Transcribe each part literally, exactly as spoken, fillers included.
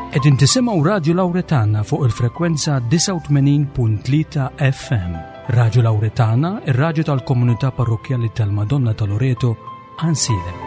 Qegħdin tisimgħu Radio Lauretana fuq il-frekwenza disgħa u tmenin punt tlieta F M. Radio Lauretana, ir-radju tal-komunità parrokjali tal-Madonna ta' Loreto, Għajnsielem.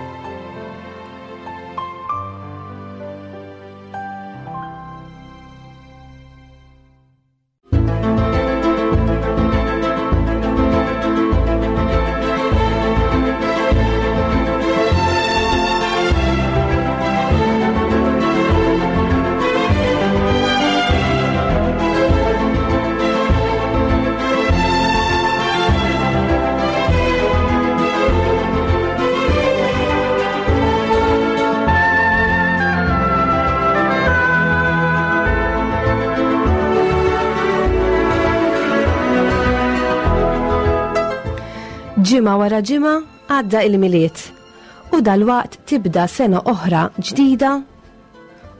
Ġimgħa wara ġimgħa għadda il-Milied u dalwaqt tibda sena oħra ġdida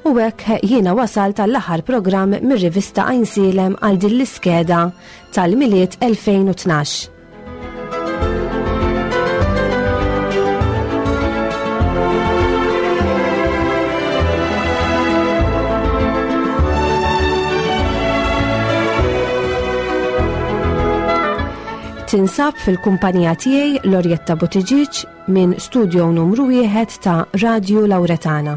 u hekk jiena wasalt għall-aħħar programm mir-rivista Għajnsielem għal din l-iskeda tal-Milied elfejn u tnax. Tinsab fil-kumpanija tiegħi Lorjetta Buttigieg minn studio numru wieħed ta' Radio Lauretana.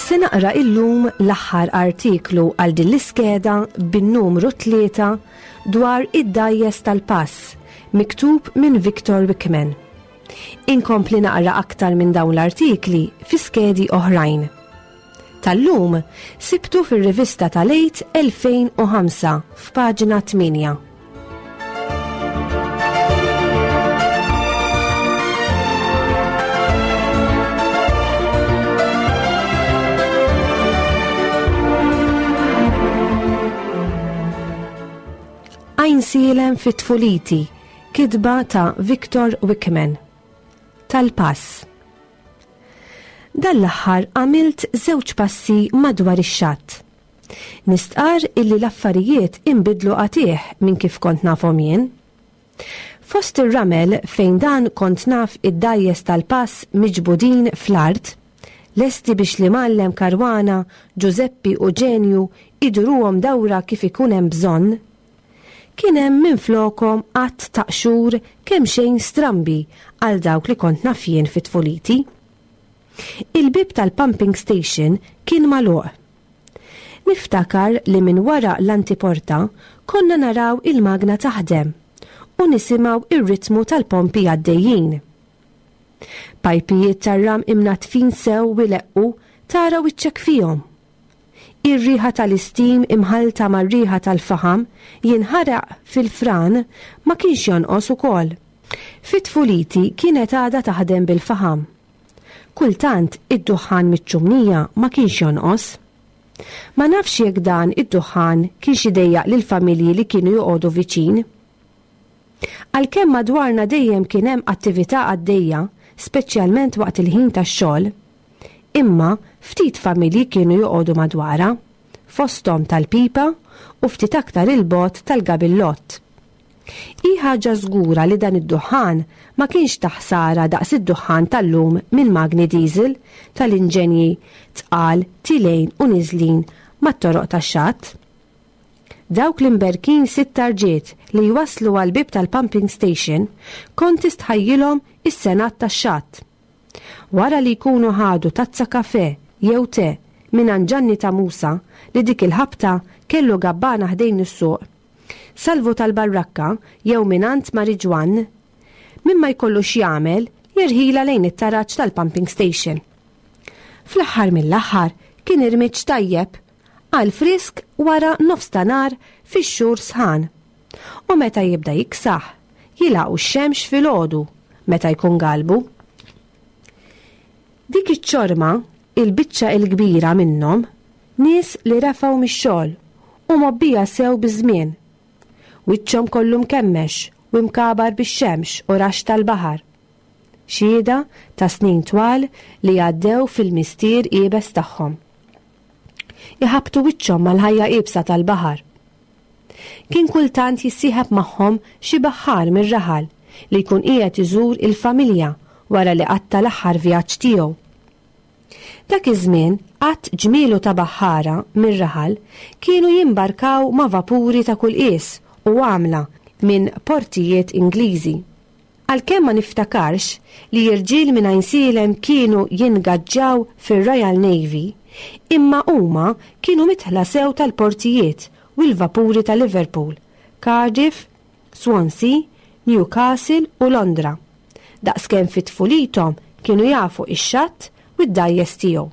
Se naqra illum l-aħħar artiklu għal din l-iskeda bin-numru tlieta dwar id-dgħajjes tal-pass, miktub minn Victor Wickman. Inkompli naqra aktar minn dawn l-artikli fi skedi oħrajn. Tal-lum sibtu fir-rivista tal-Għid elfejn u ħamsa f'paġna tmienja. Għajnsielem fit-tfuliti, kitba ta' Victor Wickman. Tal-pass. Dan l-aħħar għamilt żewġ passi madwar ix-xatt. Nistqar illi l-affarijiet inbidlu qatigħ minn kif kont nafhom jien. Fost ir-ramel fejn dan kont naf id-dgħajjes tal-pass miġbudin fl-art, lesti biex l-imgħallem Karwana, Giuseppi u Ġenju iduruhom dawra kif ikun hemm bżonn, kien hemm minflokhom għadd ta' qxur kemm xejn strambi għal dawk li kont naf jien fit-tfuliti. Il-bib tal-pumping station kien magħluq. Niftakar li minn wara l-antiporta konna naraw il-magna taħdem u nisimgħu ir-ritmu tal-pompi għaddejjin. Pajpijiet tar-ram imnatfin sew u jleqqu tara wiċċek fihom. Ir-riħa tal-istim imħalta mar-riħa tal-faħam jinħaraq fil-fran ma kienx jonqos ukoll. Fit-tfuliti kienet għadha taħdem bil-faħam. Kultant id-duħħan miċ-ċumnija ma kienx jonqos. Ma nafx jekk dan id-duħħan kienx idejjaq lill-familji li kienu joqogħdu viċin. Għalkemm madwarna dejjem kien hemm attività għaddejja, speċjalment waqt il-ħin tax-xogħol, imma ftit familji kienu joqogħdu madwarha, fosthom tal-pipa u ftit aktar il-bogħod tal-gabillott. Hi ħaġa żgura li dan id-duħħan ma kienx ta' ħsara daqs id-duħħan tal-lum minn magni diesel tal-inġenji tqal tilgħin u niżlin mat-toroq tax-xatt. Dawk l-imberkin sitt tarġiet li jwaslu għal-bib tal-pumping station kont tistħajjilhom is-senat tax-xatt. Wara li jkunu ħadu tazza kafe jew te minn Ġanni ta' Musa li dik il-ħabta kellu gabbana ħdejn is-suq, Salvu tal-Barrakka jew mingħand Mariġwan, min ma jkollux jagħmel jirħila lejn it-taraġ tal-pumping station. Fl-aħħar mill-aħħar kien irmiġġ tajjeb għal frisk wara nofs ta' nhar fix-xhur sħan. U meta jibda jiksaħ, jilaqu x-xemx filgħodu meta jkun galbu. Dik iċ-ċorma, il-biċċa il-kbira minnhom, nies li refgħu mix-xogħol u mgħobbija sew biż-żmien. Wiċċhom kollu mkemmex u mkabar bix-xemx u rax tal-baħar. Xhieda ta' snin twal li għaddew fil-mistier iebes tagħhom. Iħabbtu wiċċhom mal-ħajja iebsa tal-baħar. Kien kultant jissieħeb magħhom xi baħħar mir-raħal li jkun qiegħed iżur il-familja wara li qatta l-aħħar vjaġġ tiegħu. Dak iż-żmien għadd ġmielu ta' baħħara mir-raħal kienu jimbarkaw ma' vapuri ta' kull qies u għamla minn portijiet Ingliżi. Għalkemm ma niftakarx li irġiel minn Għajnsielem kienu jingaġġaw fir-Royal Navy, imma huma kienu midħla sew tal-portijiet u l-vapuri ta' Liverpool, Cardiff, Swansea, Newcastle u Londra. Daqskemm fit tfulithom kienu jafu ix-xatt u d-dgħajjes tiegħu.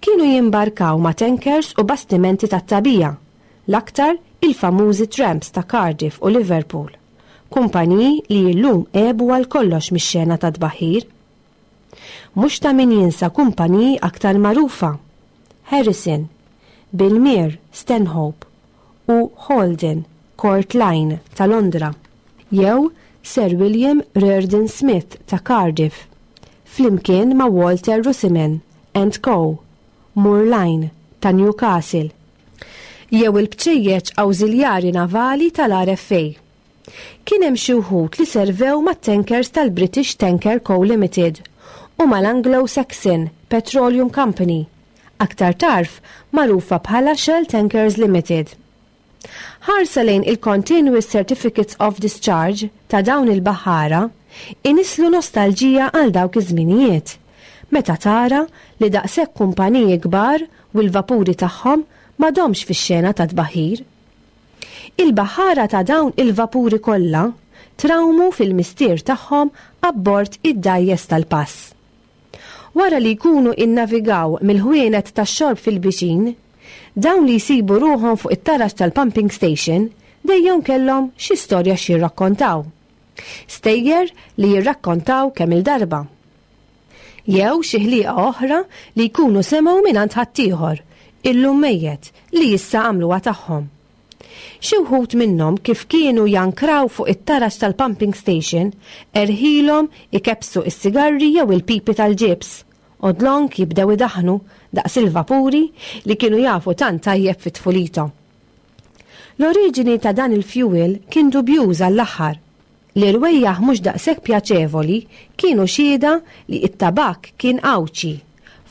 Kienu jimbarkaw ma' tankers u bastimenti tat-tagħbija, l-aktar il-famużi tramps ta' Cardiff u Liverpool, kumpaniji li llum għebu għal kollox mix-xena ta' tbaħħir. Mhux ta' min jinsa kumpaniji aktar magħrufa: Harrison, Bilmere, Stanhope u Holden, Court Line ta' Londra, jew Sir William Reardon Smith ta' Cardiff, flimkien ma' Walter Runciman and Co., Moor Line ta' Newcastle, jew il-bċejjeċ awżiljari navali tal-R F A. Kien hemm xi wħud li servew mat-tankers tal-British Tanker Co. Limited u mal-Anglo-Saxon Petroleum Company, aktar tard magħrufa bħala Shell Tankers Limited. Ħarsa lejn il-Continuous Certificates of Discharge ta' dawn il-baħħara inislu nostalġija għal dawk iż-żminijiet, meta tara li daqshekk kumpaniji kbar u l-vapuri tagħhom m'għadhomx fix-xena ta' tbaħħir. Il-baħħara ta' dawn il-vapuri kollha trawmu fil-mistier tagħhom abbord id-dgħajjes tal-pass. Wara li jkunu innavigaw mill-ħwienet tax-xorb fil-viċin, dawn li jsibu ruħhom fuq it-taraġ tal-pumping station dejjem kellhom xi storja xi jirrakkontaw. Stejjer li jirrakkontaw kemm il-darba. Jew xi ħliqa oħra li jkunu semgħu mingħand ħaddieħor, illum mejjet, li issa għamluha tagħhom. Xi wħud minnhom, kif kienu jankraw fuq it-taraġ tal-pumping station, erħilhom ikebsu is-sigarri jew il-pipi tal-ġibs. U dlonk jibdew idaħnu daqs il-vapuri li kienu jafu tant tajjeb fit tfulithom. L-oriġini ta' dan il-fuel kien dubjuż għall-aħħar. L-irwejjaħ mhux daqshekk pjaċevoli kienu xhieda li it-tabak kien Għawdxi,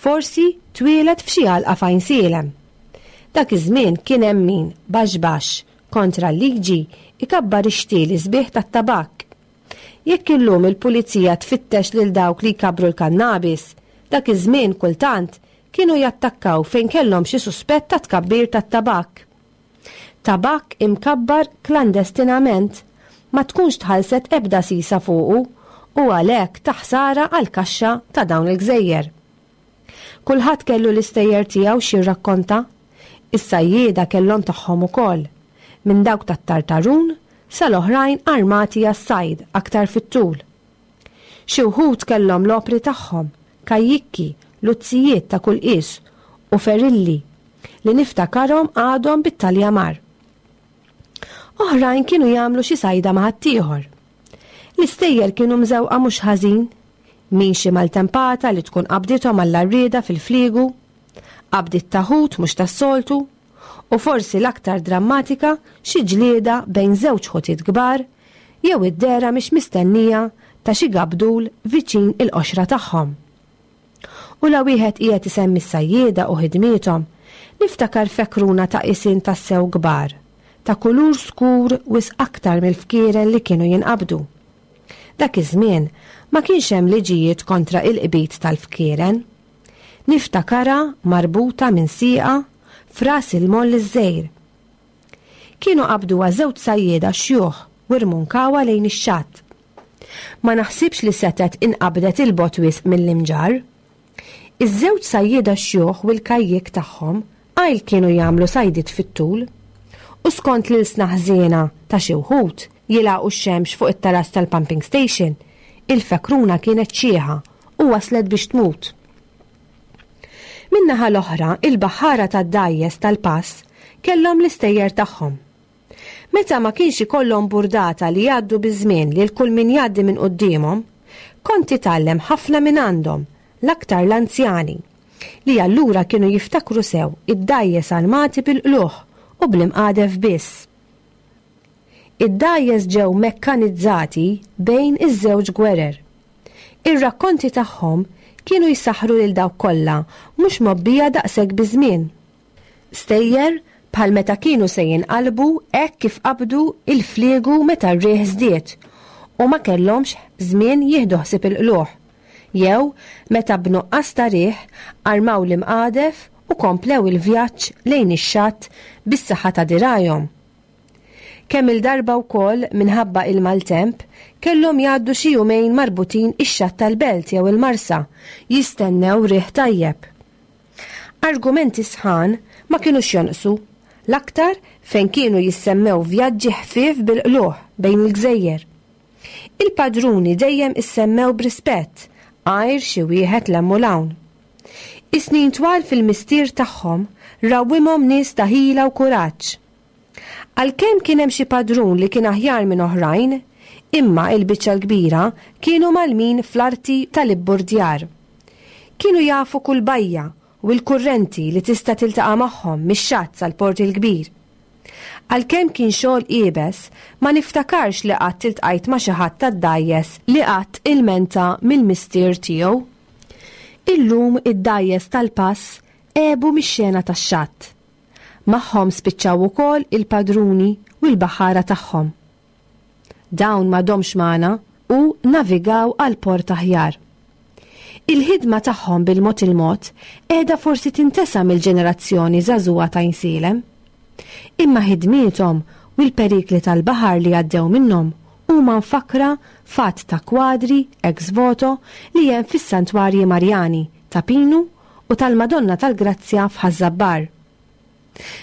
forsi twieled f'xi għalqa f'Għajnsielem. Dak iż-żmien kien hemm min baxx baxx, kontra l-liġi, ikabbar ix-xtieli sbieħ tat-tabak. Jekk illum il-pulizija tfittex lil dawk li jkabru l-kannabis, dak iż-żmien kultant kienu jattakkaw fejn kellhom xi suspett ta' tkabbir tat-tabak. Tabak imkabbar klandestinament ma tkunx tħallset ebda sisa fuqu u għalhekk ta' ħsara għal kaxxa ta' dawn il-gżejjer. Kulħadd kellu l-istejjer tiegħu x'jirrakkonta, is-sajjieda kellhom tagħhom ukoll, minn dawk tat-tartarun sal-oħrajn armati għas-sajd aktar fit-tul. Xi wħud kellhom l-opri tagħhom, kajjikki, luzzijiet ta' kull qies u ferilli li niftakarhom għadhom bit-taljamar. Oħrajn kienu jagħmlu xi sajda ma' ħaddieħor. L-istejjer kienu mżewqa mhux ħażin, min xi maltempata li tkun qabdithom għall-arrieda fil-fliegu, qabdiet ta' ħut mhux tas-soltu, u forsi l-aktar drammatika, xi ġlieda bejn żewġ ħutiet kbar jew id-dehra mhix mistennija ta' xi gabdul viċin il-qoxra tagħhom. U la wieħed qiegħed isemmi s-sajjieda u ħidmiethom, niftakar fekruna ta' qisien tassew kbar, ta' kulur skur wisq aktar mill-fkieren li kienu jinqabdu. Dak iż-żmien ma kienx hemm liġijiet kontra il-qbid tal-fkieren. Niftakarha marbuta minn sieqa f'Ras il-Moll iż-Żgħir. Kienu qabduha żewġ sajjieda xjuħ u rmunkawha lejn ix-xatt. Ma naħsibx li setet inqabdet 'il bogħod wisq mill-Imġarr. Iż-żewġ sajjieda xjuħ u l-kajjik tagħhom għajl kienu jagħmlu sajdiet fit-tul. U skont l-ilsna ħżiena ta' xi wħud jilagħqu x-xemx fuq it-taraġ tal-pumping station, il-fekruna kienet xiħa u waslet biex tmut. Min-naħa l-oħra, il-baħħara tad-dgħajjes tal-pass kellhom l-istejjer tagħhom. Meta ma kienx ikollhom burdata li jgħaddu biż-żmien lil kull min jgħaddi minn quddiemhom, kont titgħallem ħafna minn għandhom, l-aktar l-anzjani, li allura kienu jiftakru sew id-dgħajjes armati bil-qlugħ u bl-imqadef biss. Id-dgħajjes ġew mekkanizzati bejn iż-żewġ gwerer. Ir-rakkonti tagħhom kienu jsaħħru lil dawk kollha mhux mgħobbija daqshekk biż-żmien. Stejjer bħal meta kienu se jinqalbu hekk kif qabdu il-fliegu meta r-riħ żdied u ma kellhomx żmien jieħdu ħsieb il-qlugħ. Jew meta b'nuqqas ta' riħ armaw l-imqadef u komplew il-vjaġġ lejn ix-xatt bis-saħħa ta' dirgħajhom. Kemm il-darba wkoll minħabba il-maltemp kellhom jgħaddu xi jumejn marbutin ix-xatt tal-belt jew il-marsa jistennew riħ tajjeb. Argumenti sħan ma kinux jonqsu, l-aktar fejn kienu jissemmew vjaġġi ħfief bil-qlugħ bejn il-gżejjer. Il-padruni dejjem issemmew b'rispett, għajr xi wieħed 'l hemm u 'l hawn. Is-snin twal fil-mistier tagħhom rawwimhom nies ta' ħila u kuraġġ. Għalkemm kien hemm xi padrun li kien aħjar minn oħrajn, imma il-biċċa l-kbira kienu mgħallmin fl-arti tal-ibburdjar. Kienu jafu kull bajja u l-kurrenti li tista' tiltaqa' magħhom mix-xatt sal-Port il-Kbir. Għalkemm kien xogħol iebes, ma niftakarx li qatt iltqajt ma' xi ħadd tad-dgħajjes li qatt ilmenta mill-mistier tiegħu. Illum id-dgħajjes tal-pass għebu mix-xena tax-xatt. Magħhom spiċċaw ukoll il-padruni u l-baħara tagħhom. Dawn m'għadhomx magħna u navigaw għal port aħjar. Il-ħidma tagħhom bil-mod il-mod qiegħda forsi tintesa mill-ġenerazzjoni żagħżugħa ta' Għajnsielem. Imma ħidmiethom u l-perikli tal-baħar li għaddew minnhom huma mfakkra f'għadd ta' kwadri ex voto li hemm fis-santwarji Marjani ta' Pinu u tal-Madonna tal-Grazzja f'Ħaż-Żabbar.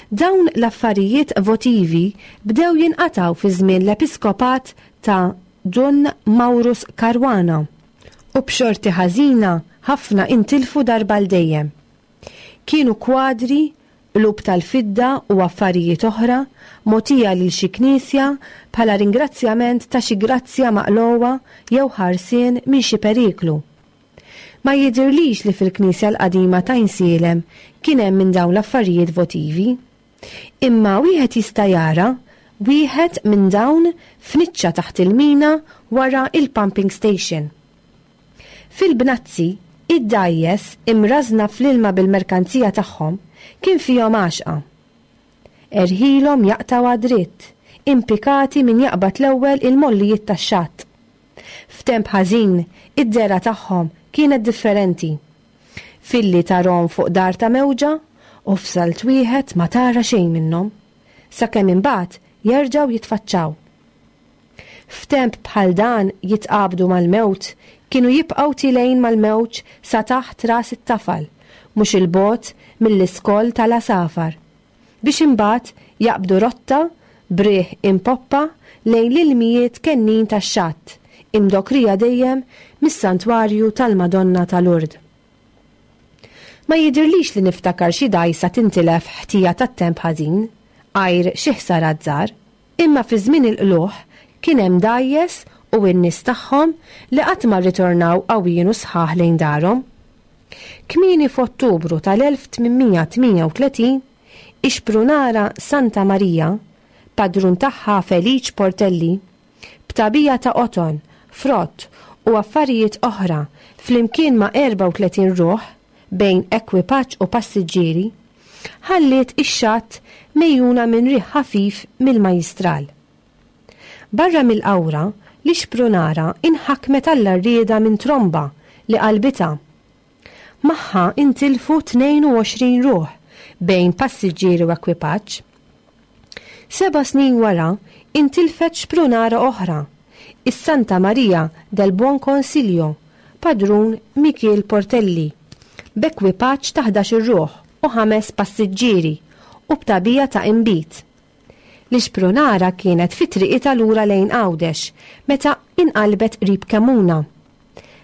Dawn l-affarijiet votivi bdew jinqataw fi żmien l-episkopat ta' Dun Maurus Caruana u b'xorti ħażina ħafna intilfu darba l dejjem. Kienu kwadri, qlub tal-fidda u affarijiet oħra mogħtija lil xi knisja bħala ringrazzjament ta' xi grazzja maqlugħa jew ħarsien minn xi periklu. Ma jidirlix li fil-knisja l-qadima ta' Għajnsielem kien hemm minn dawn l-affarijiet votivi. Imma wieħed jista' jara wieħed minn dawn f'niċċa taħt il-mina wara il-pumping station. Fil-bnazzi, id-dgħajjes imrażna fl-ilma bil-merkanzija tagħhom kien fihom għaxqa. Erħilhom jaqtaw għad-dritt, impikati min jaqbad l-ewwel il-mollijiet tax-xatt. F'temp ħażin, id-dehra tagħhom kienet differenti. Filli tarahom fuq dar ta' mewġa u f'salt wieħed ma tara xejn minnhom, sakemm imbagħad jerġgħu jitfaċċaw. F'temp bħal dan jitqabdu mal-mewt, kienu jibqgħu tilgħin mal-mewġ sa taħt ras it-tafal, mhux il-bogħod mill-iskoll tal-għasafar, biex imbagħad jaqbdu rotta b'riħ impoppa lejn l-ilmijiet kennin tax-xatt, imdokrija dejjem mis-santwarju tal-Madonna ta' Lourdes. Ma jidirlix li niftakar xi dgħajsa tintilef ħtija tat-temp ħażin, għajr xi ħsarat żgħar, imma fi żmien il-qlugħ kien hemm dgħajjes u n-nies tagħhom li qatt ma rritornaw qawwin u sħaħ lejn darhom. Kmieni f'Ottubru tal-elf tmien mija tmienja u tletin, ix-xprunara Santa Marija, padrun tagħha Feliċ Portelli, b'tagħbija ta' qoton, frott u affarijiet oħra flimkien ma' erbgħa u tletin ruħ bejn ekwipaġġ u passiġġieri, ħalliet ix-xatt mejjuna minn riħ ħafif mill-majjistral. Barra mill-qawra, l-ixprunara inħakmet għall-għarrieda minn tromba li qalbitha. Magħha intilfu tnejn u għoxrin ruħ bejn passiġġieri u ekwipaġġ. Seba' snin wara intilfet xprunara oħra, is-Santa Maria del Buon Consiglio, padrun Mikiel Portelli, b'ekwipaġġ ta' ħdax-il ruħ u ħames passiġġieri u b'tagħbija ta' inbid. L-ixprunara kienet fi triqitha lura lejn Għawdex meta inqalbet qrib Kemuna.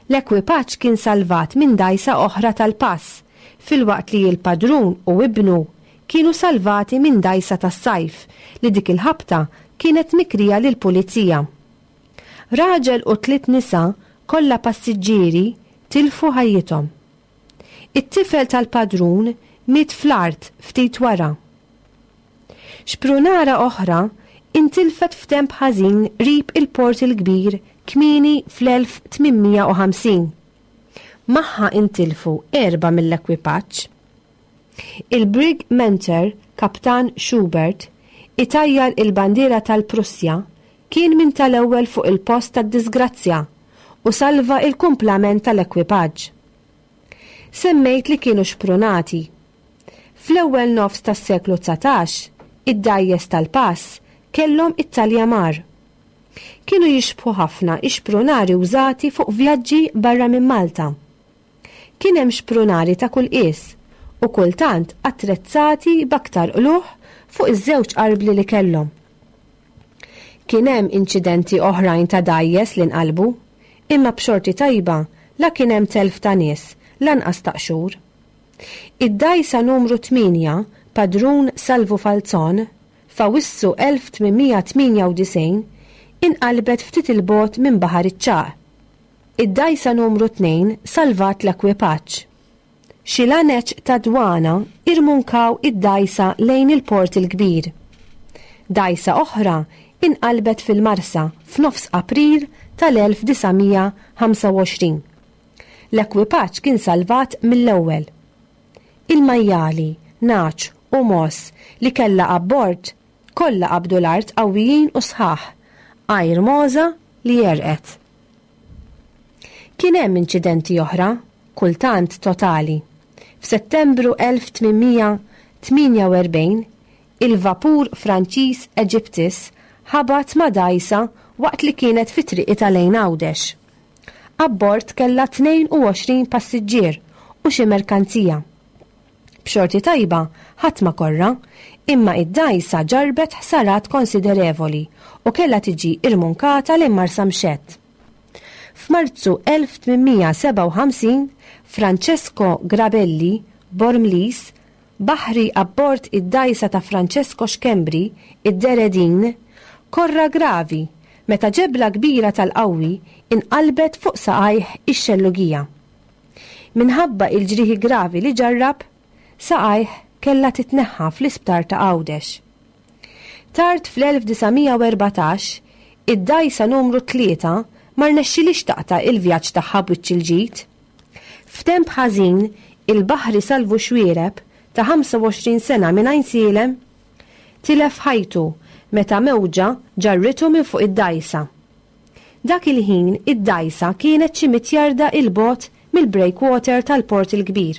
L-ekwipaġġ kien salvat minn dgħajsa oħra tal-pass, filwaqt li l-padrun u ibnu kienu salvati minn dgħajsa tas-sajf li dik il-ħabta kienet mikrija lill-pulizija. Raġel u tliet nisa kollha passiġġieri tilfu ħajjithom. It-tifel tal-padrun miet fl-art ftit wara. Xprunara oħra intilfet f'temp ħażin qrib il-Port il-Kbir kmieni fl-elf tmien mija u ħamsin. Magħha intilfu erba' mill-ekwipaġġ. Il-Brig Mentor, Kaptan Schubert, itajjar il-bandiera tal-Prussja, kien minn tal-ewwel fuq il-post tad-disgrazzja u salva il-kumplament tal-ekwipaġġ. Semmejt li kienu xprunati. Fl-ewwel nofs tas-seklu dsatax, id-dgħajjes tal-pass kellhom it-taljamar. Kienu jixbħu ħafna ix-xprunari użati fuq vjaġġi barra minn Malta. Kien hemm xprunari ta' kull qies u kultant attrezzati b'aktar qlugħ fuq iż-żewġ arbli li kellhom. Kien hemm inċidenti oħrajn ta' dgħajjes li nqalbu, imma b'xorti tajba la kien hemm telf ta' nies, lanqas ta' qxur. Id-dgħajsa numru tmienja, Padrun Salvu Falzon, f'Awwissu elf tmien mija tmienja u disgħin, inqalbet ftit il-bogħod minn Baħar iċ-Ċagħaq. Id-dgħajsa numru tnejn salvat l-ekwipaġġ. Xi laneċ ta' dwana irmunkaw id-dgħajsa lejn il-Port il-Kbir. Dgħajsa oħra inqalbet fil-Marsa f'nofs April tal-elf disa' mija ħamsa u għoxrin. L-ekwipaġġ kien salvat mill-ewwel. Il-majjali, naċ u mos li kellha abbord kollha qabdu l-art qawwijin u sħaħ, għajr moża li jerqet. Kien hemm inċidenti oħra, kultant totali. F'Settembru elf tmien mija tmienja u erbgħin, il-vapur Franċiż Egyptus ħabat ma' dgħajsa waqt li kienet fi triqitha lejn Għawdex. Abbord kellha tnejn u għoxrin passiġġier u xi merkanzija. B'xorti tajba ħadd ma korra, imma id-dgħajsa ġarbet ħsarat konsiderevoli u kellha tiġi irmunkata lejn Marsamxett. F'Marzu elf tmien mija sebgħa u ħamsin, Francesco Grabelli, Bormlis, baħri abbord id-dgħajsa ta' Francesco Schembri, id-Deredin, korra gravi meta ġebla kbira tal-qawwi inqalbet fuq saqajh ix-xellugija. Minħabba il-ġrieħi gravi li ġarrab, saqajh kellha titneħħa fl-isptar ta' Għawdex. Tard fl-elf disa' mija u erbatax, id-dgħajsa numru tlieta ma rnexxilix taqta' il-vjaġġ tagħha b'wiċċ il-ġid. F'temp ħażin, il-baħri Salvu Xwiereb ta' ħamsa u għoxrin sena minn Għajnsielem tilef ħajtu meta mewġa ġarritu minn fuq id-dgħajsa. Dak il-ħin id-dgħajsa kienet xi mitjarda il-bogħod mill-breakwater tal-Port il-Kbir.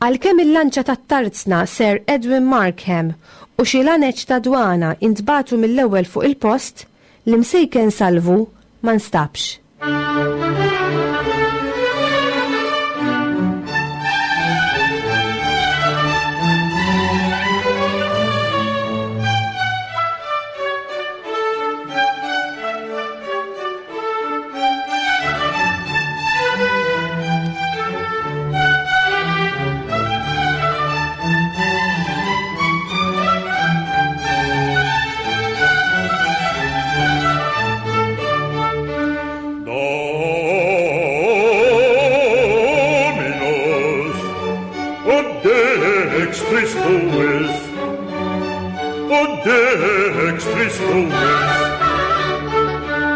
Għalkemm il-lanċa tat-tarzna Sir Edwin Markham u xi laneċ ta' dwana intbatu mill-ewwel fuq il-post, l-imsejken Salvu ma nstabx.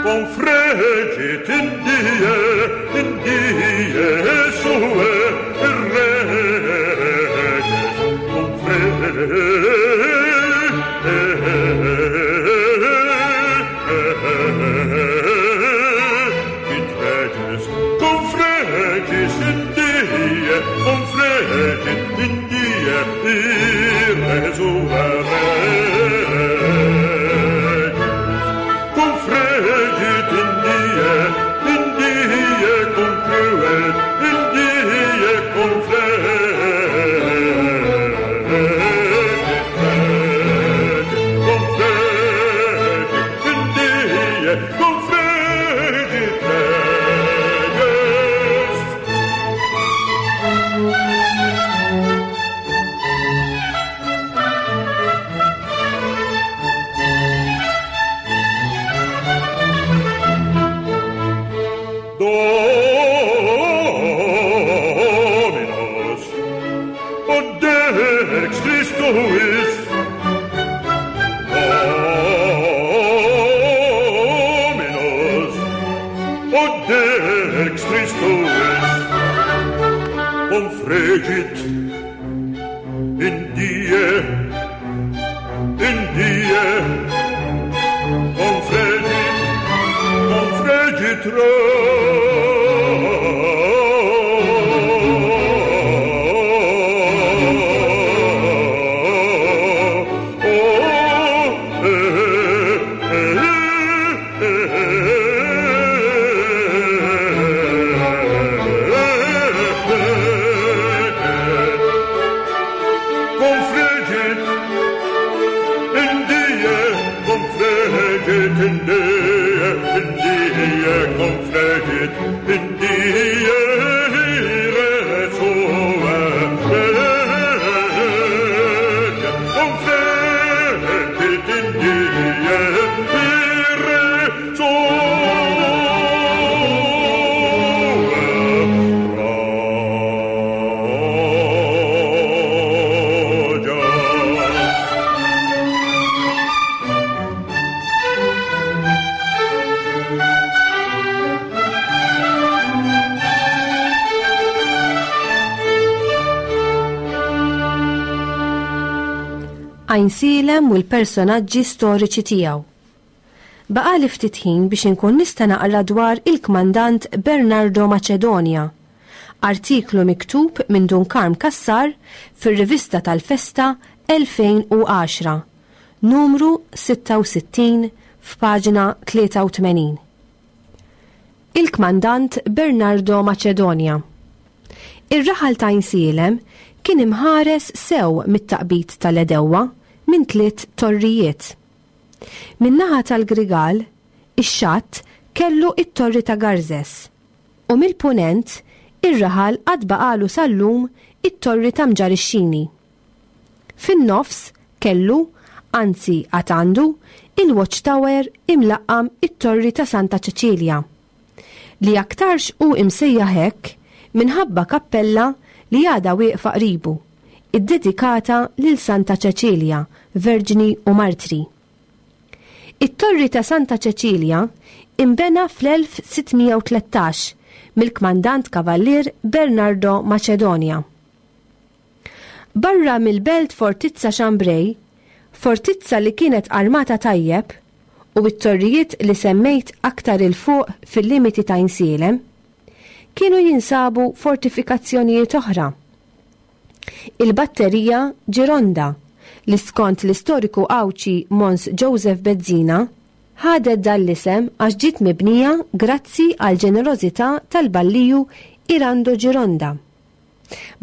Confregit in die, in die sue reges. Confregit reges, confregis in die, confregit in die, ire sue reges. Confregit in die, in die concluet, in Confregit in die, in die, confregit, confregit Għajnsielem u l-personaġġi storiċi tiegħu. Baqali ftit ħin biex inkun nista' naqra dwar il-kmandant Bernardo Macedonia, artiklu miktub minn Dun Karm Cassar fir-rivista tal-Festa elfejn u għaxra, numru sitta u sittin f'paġna tlieta u tmenin. Il-kmandant Bernardo Macedonia. Ir-raħal ta' Għajnsielem kien imħares sew mit-taqbit tal-edewwa minn tliet torrijiet. Min-naħa tal-Grigal, ix-xatt kellu it-torri ta' Garzes u mill-punent ir-raħal għad baqalu sal-lum it-torri ta' Mġarr ix-Xini. Fin-nofs kellu, anzi għad għandu, il-Watchtower imlaqqam it-torri ta' Santa Ċeċilja, li aktarx hu imsejjaħ hekk minħabba kappella li għadha wieqfa qribu, iddedikata lil Santa Ċeċilja, Verġni u Martri. It-torri ta' Santa Ċeċilja imbena fl-elf sittmija u tlettax mill-kmandant Kavallier Bernardo Macedonia. Barra mill-belt Fortizza Chambray, fortizza li kienet armata tajjeb u t-torrijiet li semmejt aktar il-fuq fil-limiti ta' Għajnsielem, kienu jinsabu fortifikazzjonijiet oħra. Il-batterija Gironda, li skont l-istoriku Għawdxi Mons Joseph Bezzina, ħadet dan l-isem għax ġiet mibnija grazzi għal ġenerożità tal-balliju Irando Gironda.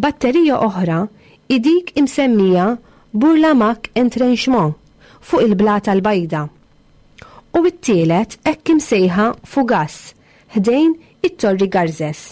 Batterija oħra hi dik imsemmija Bourlamaque Entrenchement fuq il-Blata l-Bajda. U t-tielet hekk imsejħa Fugas ħdejn it-Torri Garzes.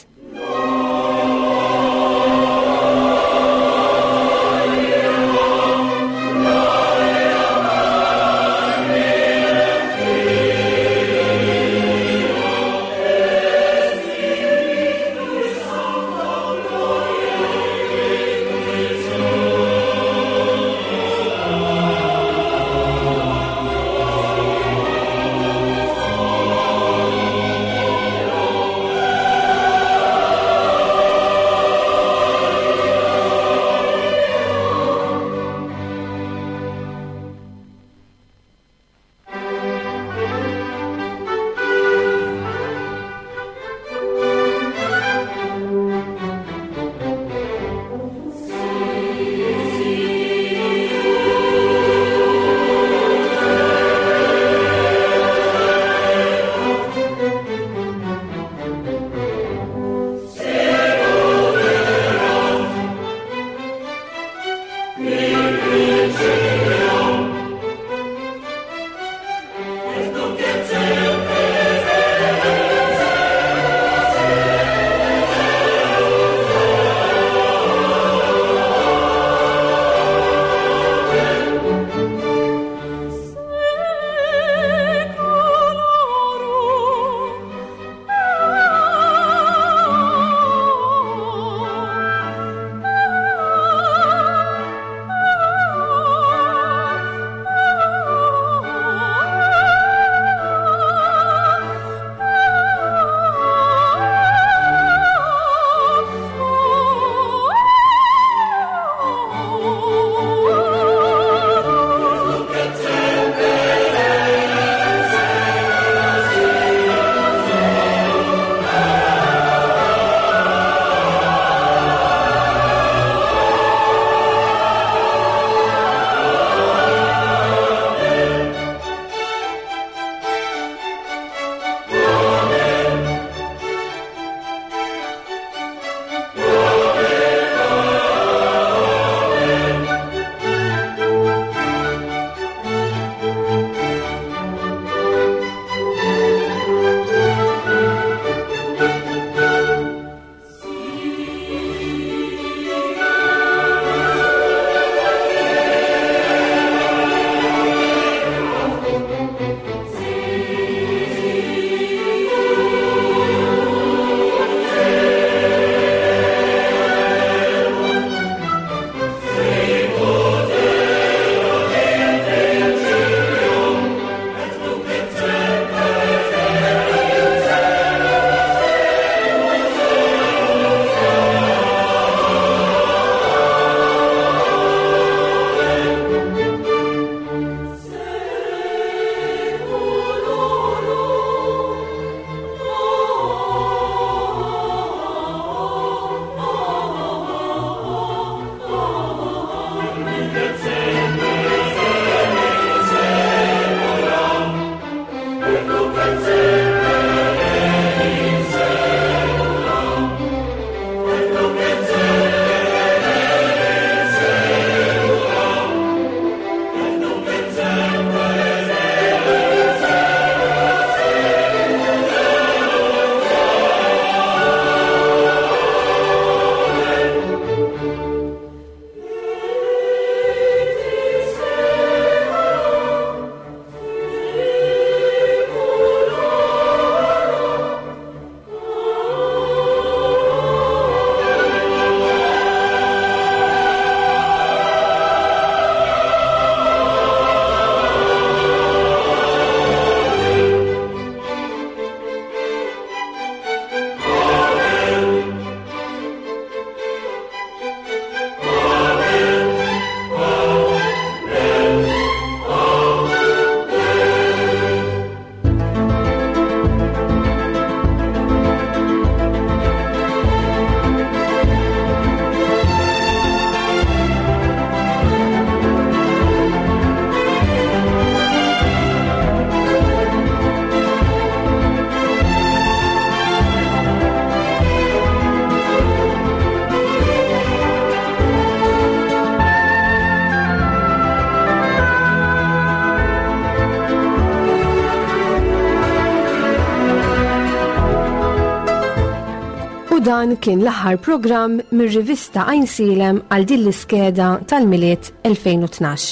Dan kien l-aħħar programm mir-rivista Għajnsielem għal din l-iskeda tal-Milied elfejn u tnax.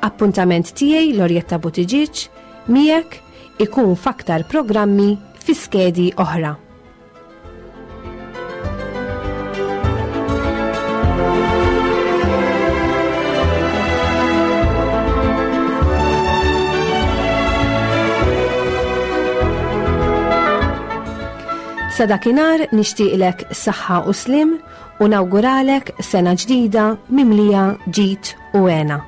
Appuntament tiegħi Lorjetta Buttigieg miegħek ikun f'aktar programmi fi skedi oħra. Sa dakinhar nixtieqlek saħħa u slim u nawguralek sena ġdida mimlija ġid u hena.